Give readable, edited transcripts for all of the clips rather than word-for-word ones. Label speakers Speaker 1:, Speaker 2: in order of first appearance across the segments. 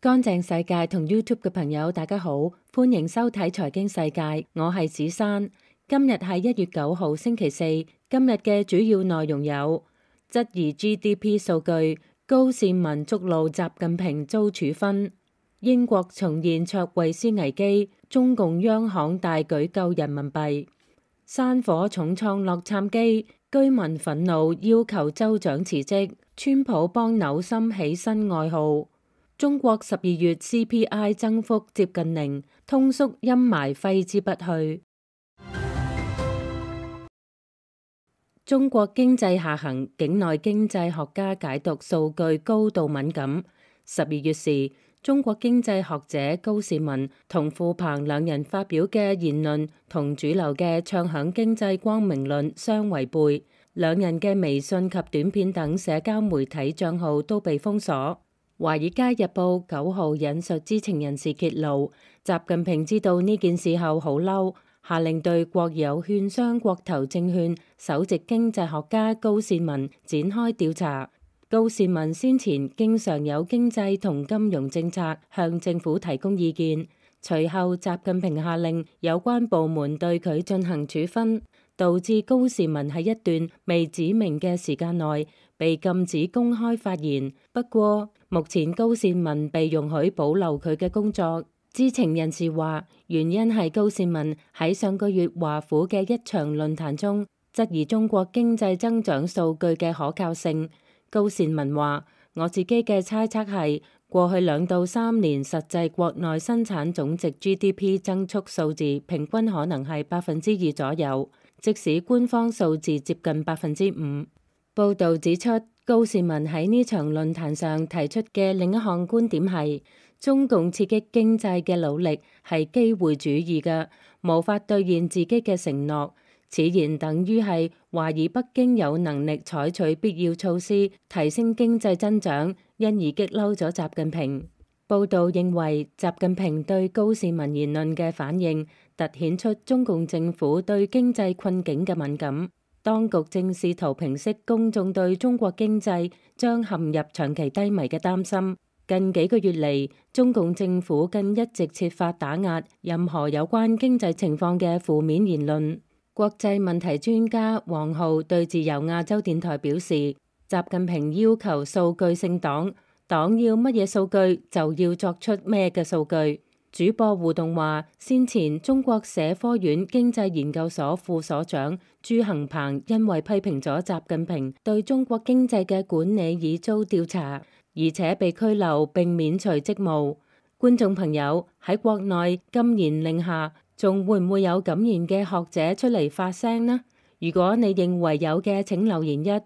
Speaker 1: 乾淨世界同 YouTube 嘅朋友，大家好，歡迎收睇財經世界，我係子珊。今日係1月9號星期四，今日嘅主要內容有：質疑 GDP 數據，高善民觸怒習近平遭處分；英國重現卓慧思危機，中共央行大舉救人民幣；山火重創洛杉磯，居民憤怒要求州長辭職；川普幫紐森起新外號。中國12月 CPI 增幅接近0，通縮陰霾揮之不去。中國經濟下行，境內經濟學家解讀數據高度敏感。12月時，中國經濟學者高士文同傅鵬兩人發表嘅言論同主流嘅唱響經濟光明論相違背，兩人嘅微信及短片等社交媒體賬號都被封鎖。《華爾街日報》9號引述知情人士揭露，習近平知道呢件事後好嬲，下令對國有券商國投證券首席經濟學家高善文展開調查。高善文先前經常有經濟同金融政策向政府提供意見，隨後習近平下令有關部門對佢進行處分，導致高善文喺一段未指明嘅時間內被禁止公開發言。不過，目前高善文被容許保留佢嘅工作。知情人士話，原因係高善文喺上個月華府嘅一場論壇中質疑中國經濟增長數據嘅可靠性。高善文話：我自己嘅猜測係，過去2到3年實際國內生產總值 GDP 增速數字平均可能係2%左右，即使官方數字接近5%。報導指出，高善文喺呢場論壇上提出嘅另一項觀點係，中共刺激經濟嘅努力係機會主義嘅，無法兌現自己嘅承諾。此言等於係懷疑北京有能力採取必要措施提升經濟增長，因而激嬲咗習近平。報導認為，習近平對高善文言論嘅反應，凸顯出中共政府對經濟困境嘅敏感。當局正試圖平息公眾對中國經濟將陷入長期低迷嘅擔心。近幾個月嚟，中共政府更一直設法打壓任何有關經濟情況嘅負面言論。國際問題專家王浩對自由亞洲電台表示，習近平要求數據性黨要乜嘢數據就要作出咩嘅數據。主播互動話，先前中國社科院經濟研究所副所長朱恒鵬因為批評咗習近平對中國經濟嘅管理已遭調查，而且被拘留並免除職務。觀眾朋友，喺國內禁言令下，仲會唔會有敢言嘅學者出嚟發聲呢？如果你認為有嘅，請留言1；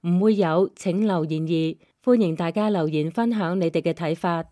Speaker 1: 唔會有，請留言2。歡迎大家留言分享你哋嘅睇法。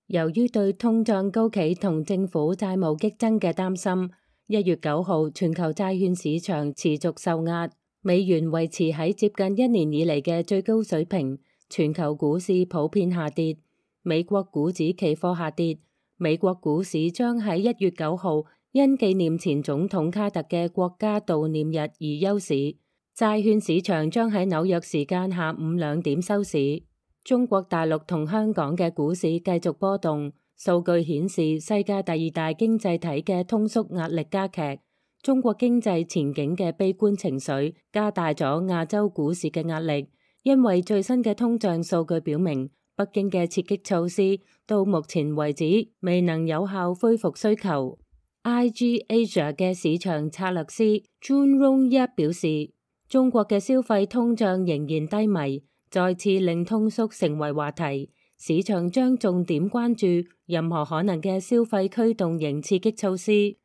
Speaker 1: 由於對通脹高企同政府債務激增嘅擔心，1月9號全球債券市場持續受壓，美元維持喺接近1年以嚟嘅最高水平，全球股市普遍下跌。美國股指期貨下跌，美國股市將喺1月9號因紀念前總統卡特嘅國家悼念日而休市。債券市場將喺紐約時間下午2點收市。中國大陸同香港嘅股市繼續波動，數據顯示世界第2大經濟體嘅通縮壓力加劇，中國經濟前景嘅悲觀情緒加大咗亞洲股市嘅壓力，因為最新嘅通脹數據表明，北京嘅刺激措施到目前為止未能有效恢復需求。IG Asia 嘅市場策略師 Jun Rong 一表示，中國嘅消費通脹仍然低迷，再次令通縮成為話題，市場將重點關注任何可能嘅消費驅動型刺激措施。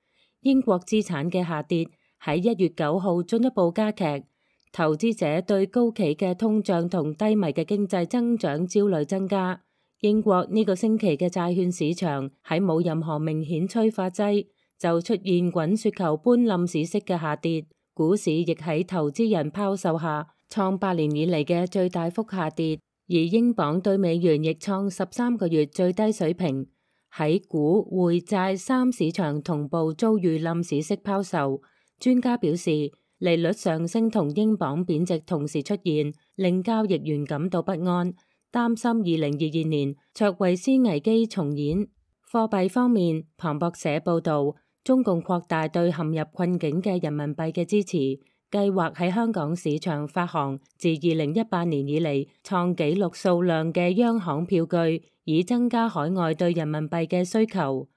Speaker 1: 英國資產嘅下跌喺1月9號進一步加劇，投資者對高企嘅通脹同低迷嘅經濟增長焦慮增加。英國呢個星期嘅債券市場喺冇任何明顯催化劑，就出現滾雪球般冧市式嘅下跌，股市亦喺投資人拋售下創8年以嚟嘅最大幅下跌，而英鎊對美元亦創13個月最低水平。喺股匯債3市場同步遭遇冧市式拋售。專家表示，利率上升同英鎊貶值同時出現，令交易員感到不安。擔心2022年卓慧思危機重演。貨幣方面，彭博社報導，中共擴大對陷入困境嘅人民幣嘅支持，計劃喺香港市場發行自2018年以嚟創紀錄數量嘅央行票據，以增加海外對人民幣嘅需求。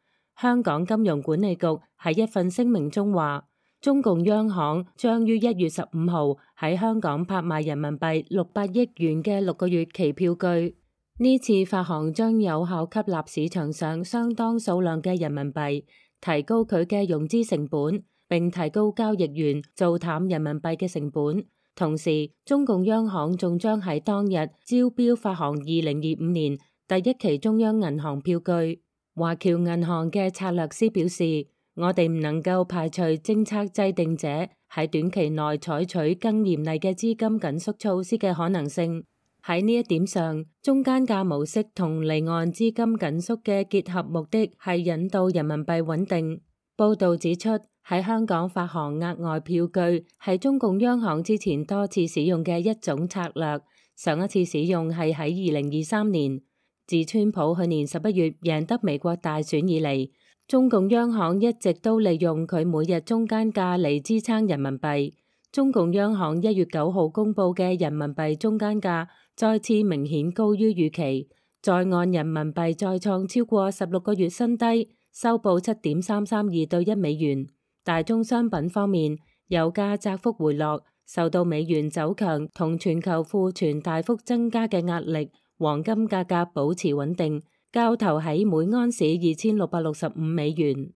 Speaker 1: 香港金融管理局喺一份聲明中話，中共央行將於1月15號喺香港拍賣人民幣600億元嘅6個月期票據。呢次發行將有效吸納市場上相當數量嘅人民幣，提高佢嘅融資成本，並提高交易員做淡人民幣嘅成本。同時，中共央行仲將喺當日招標發行2025年第一期中央銀行票據。華僑銀行嘅策略師表示，我哋唔能夠排除政策制定者喺短期內採取更嚴厲嘅資金緊縮措施嘅可能性。喺呢一點上，中間價模式同離岸資金緊縮嘅結合目的係引導人民幣穩定。報導指出，喺香港發行額外票據係中共央行之前多次使用嘅一種策略，上一次使用係喺2023年。自川普去年11月贏得美國大選以嚟，中共央行一直都利用佢每日中間價嚟支撐人民幣。中共央行1月9號公佈嘅人民幣中間價再次明顯高於預期，在岸人民幣再創超過16個月新低，收報7.332對1美元。大宗商品方面，油價窄幅回落，受到美元走強同全球庫存大幅增加嘅壓力。黃金價格保持穩定，交投喺每盎司2665美元。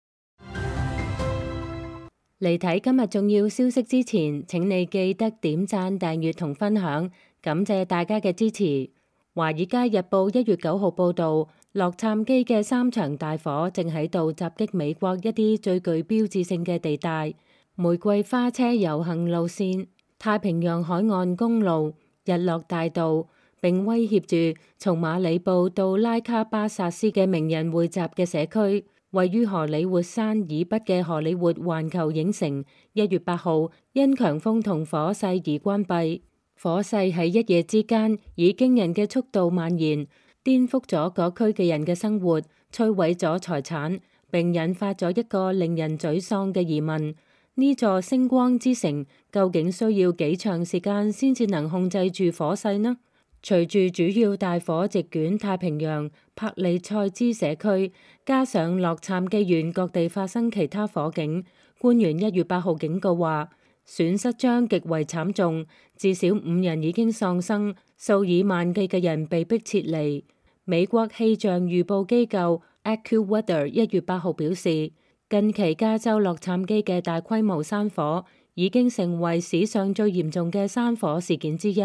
Speaker 1: 嚟睇今日重要消息之前，請你記得點讚、訂閱同分享，感謝大家嘅支持。華爾街日報1月9號報導，洛杉磯嘅3場大火正喺度襲擊美國一啲最具標誌性嘅地帶：玫瑰花車遊行路線、太平洋海岸公路、日落大道。並威脅住從馬里布到拉卡巴薩斯嘅名人匯集嘅社區。位於荷里活山以北嘅荷里活環球影城1月8號因強風同火勢而關閉。火勢喺一夜之間以驚人嘅速度蔓延，顛覆咗嗰區嘅人嘅生活，摧毀咗財產，並引發咗一個令人沮喪嘅疑問：呢座星光之城究竟需要幾長時間先至能控制住火勢呢？隨住主要大火席捲太平洋、帕利塞茲社區，加上洛杉磯縣各地發生其他火警，官員1月8號警告話，損失將極為慘重，至少5人已經喪生，數以萬計嘅人被迫撤離。美國氣象預報機構 AccuWeather 1月8號表示，近期加州洛杉磯嘅大規模山火已經成為史上最嚴重嘅山火事件之一。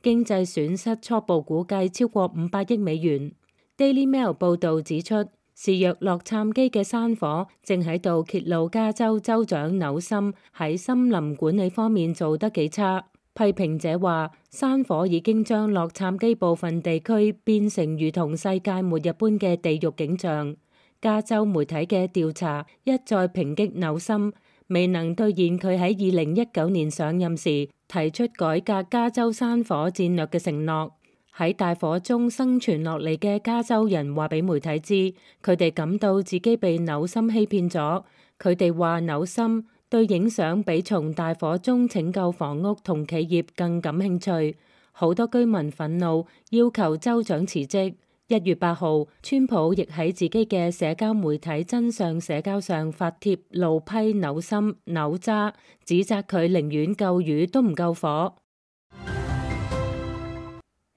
Speaker 1: 經濟損失初步估計超過500億美元。Daily Mail 報導指出，肆虐洛杉磯嘅山火正喺度揭露加州州長紐森喺森林管理方面做得幾差。批評者話，山火已經將洛杉磯部分地區變成如同世界末日般嘅地獄景象。加州媒體嘅調查一再抨擊紐森未能兌現佢喺2019年上任時提出改革加州山火戰略嘅承諾。喺大火中生存落嚟嘅加州人話俾媒體知，佢哋感到自己被紐森欺騙咗。佢哋話紐森對影相比從大火中拯救房屋同企業更感興趣。好多居民憤怒，要求州長辭職。1月8號，川普亦喺自己嘅社交媒體真相社交上發帖怒批紐森扭渣，指責佢寧願救魚都唔救火。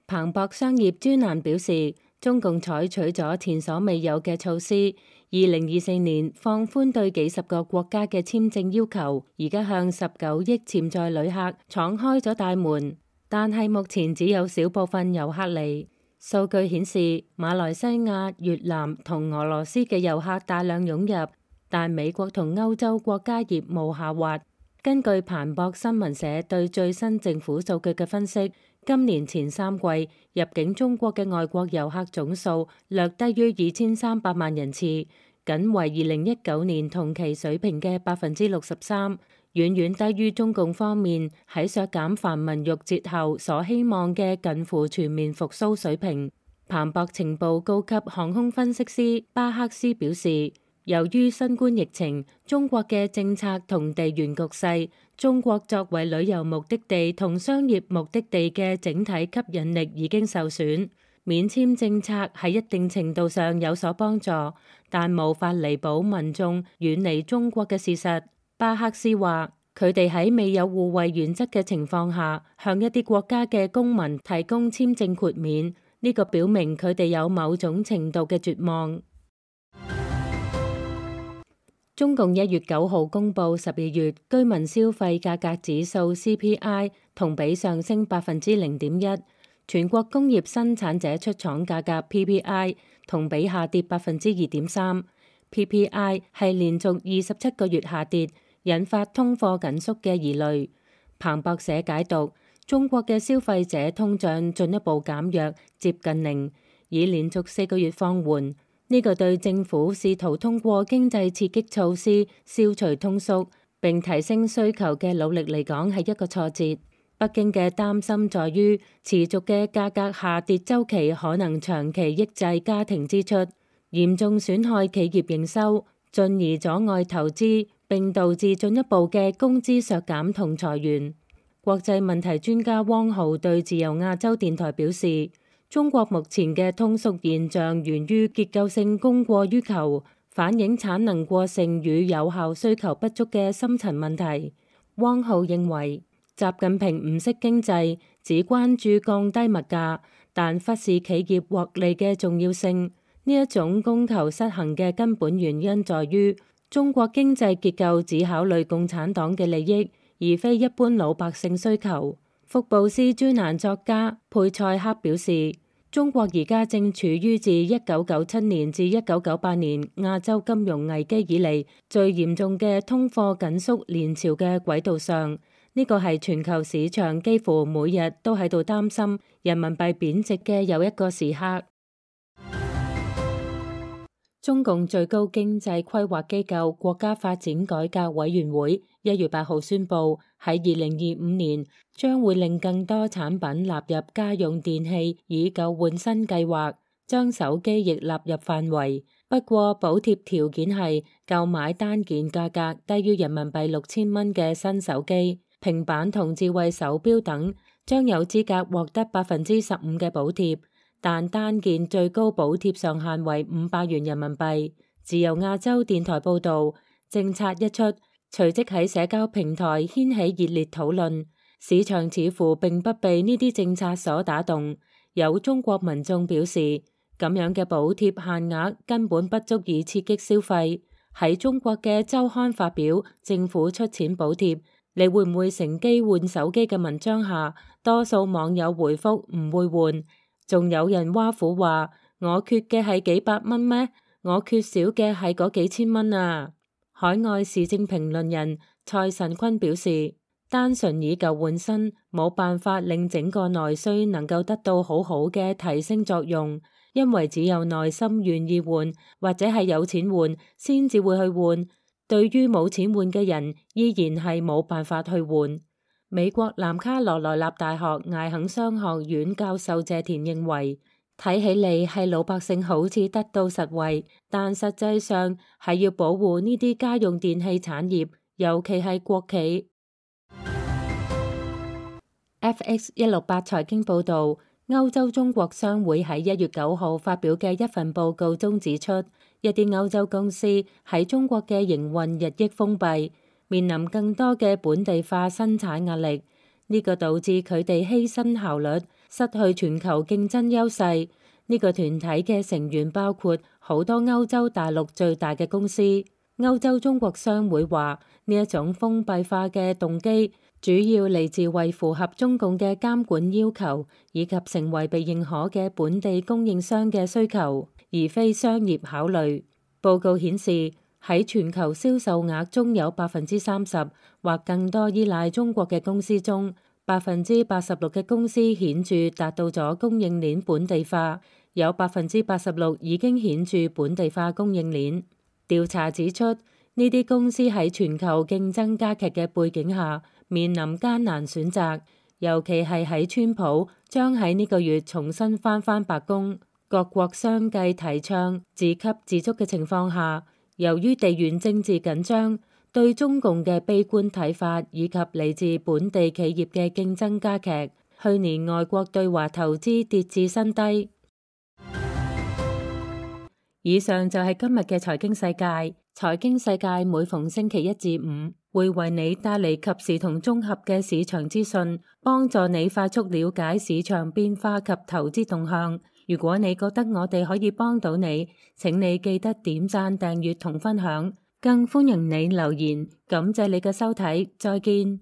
Speaker 1: 彭博商業專欄表示，中共採取咗前所未有嘅措施，2024年放寬對幾十個國家嘅簽證要求，而家向19億潛在旅客敞開咗大門，但係目前只有少部分遊客嚟。數據顯示，馬來西亞、越南同俄羅斯嘅遊客大量湧入，但美國同歐洲國家業務下滑。根據彭博新聞社對最新政府數據嘅分析，今年前3季入境中國嘅外國遊客總數略低於2300萬人次，僅為2019年同期水平嘅63%。遠遠低於中共方面喺削減繁文縟節後所希望嘅近乎全面復甦水平。彭博情報高級航空分析師巴克斯表示，由於新冠疫情、中國嘅政策同地緣局勢，中國作為旅遊目的地同商業目的地嘅整體吸引力已經受損。免簽政策喺一定程度上有所幫助，但無法彌補民眾遠離中國嘅事實。巴克斯話，佢哋喺未有互惠原則嘅情況下，向一啲國家嘅公民提供簽證豁免，呢個表明佢哋有某種程度嘅絕望。中共1月9號公佈12月居民消費價格指數 CPI 同比上升0.1%，全國工業生產者出廠價格 PPI 同比下跌2.3%，PPI 係連續27個月下跌，引發通貨緊縮嘅疑慮。彭博社解讀，中國嘅消費者通脹進一步減弱，接近零，已連續4個月放緩。呢個對政府試圖通過經濟刺激措施消除通縮並提升需求嘅努力嚟講係一個挫折。北京嘅擔心在於持續嘅價格下跌週期可能長期抑制家庭支出，嚴重損害企業營收，進而阻礙投資，並導致進一步嘅工資削減同裁員。國際問題專家汪浩對自由亞洲電台表示，中國目前嘅通縮現象源於結構性供過於求，反映產能過剩與有效需求不足嘅深層問題。汪浩認為，習近平唔識經濟，只關注降低物價，但忽視企業獲利嘅重要性。呢一種供求失衡嘅根本原因在於，中國經濟結構只考慮共產黨嘅利益，而非一般老百姓需求。福布斯專欄作家佩塞克表示，中國而家正處於自1997年至1998年亞洲金融危機以嚟最嚴重嘅通貨緊縮連潮嘅軌道上。呢個係全球市場幾乎每日都喺度擔心人民幣貶值嘅又一個時刻。中共最高經濟規劃機構國家發展改革委員會1月8號宣布，喺2025年將會令更多產品納入家用電器以舊換新計劃，將手機亦納入範圍。不過補貼條件係購買單件價格低於人民幣6000蚊嘅新手機、平板同智慧手錶等，將有資格獲得15%嘅補貼。但單件最高補貼上限為500元人民幣。自由亞洲電台報導，政策一出，隨即喺社交平台掀起熱烈討論。市場似乎並不被呢啲政策所打動。有中國民眾表示，咁樣嘅補貼限額根本不足以刺激消費。喺中國嘅週刊發表政府出錢補貼，你會唔會乘機換手機嘅文章下，多數網友回覆唔會換。仲有人挖苦話，我缺嘅係幾百蚊咩？我缺少嘅係嗰幾千蚊啊！海外時政評論人蔡慎坤表示，單純以舊換新冇辦法令整個內需能夠得到好好嘅提升作用，因為只有內心願意換或者係有錢換先至會去換，對於冇錢換嘅人依然係冇辦法去換。美國南卡羅來納大學艾肯商學院教授謝田認為，睇起嚟係老百姓好似得到實惠，但實際上係要保護呢啲家用電器產業，尤其係國企。FX168財經報導，歐洲中國商會喺1月9號發表嘅一份報告中指出，一啲歐洲公司喺中國嘅營運日益封閉，面臨更多嘅本地化生產壓力，呢個導致佢哋犧牲效率，失去全球競爭優勢。呢個團體嘅成員包括好多歐洲大陸最大嘅公司。歐洲中國商會話，呢一種封閉化嘅動機主要嚟自為符合中共嘅監管要求，以及成為被認可嘅本地供應商嘅需求，而非商業考慮。報告顯示，喺全球銷售額中有30%或更多依賴中國嘅公司中，86%嘅公司顯著達到咗供應鏈本地化，有86%已經顯著本地化供應鏈。調查指出，呢啲公司喺全球競爭加劇嘅背景下，面臨艱難選擇，尤其係喺川普將喺呢個月重新返返白宮，各國相繼提倡自給自足嘅情況下，由於地緣政治緊張，對中共嘅悲觀睇法以及嚟自本地企業嘅競爭加劇，去年外國對華投資跌至新低。以上就係今日嘅財經世界。財經世界每逢星期一至五會為你帶嚟及時同綜合嘅市場資訊，幫助你快速了解市場變化及投資動向。如果你覺得我哋可以幫到你，請你記得點讚、訂閱同分享，更歡迎你留言。感謝你嘅收睇，再見。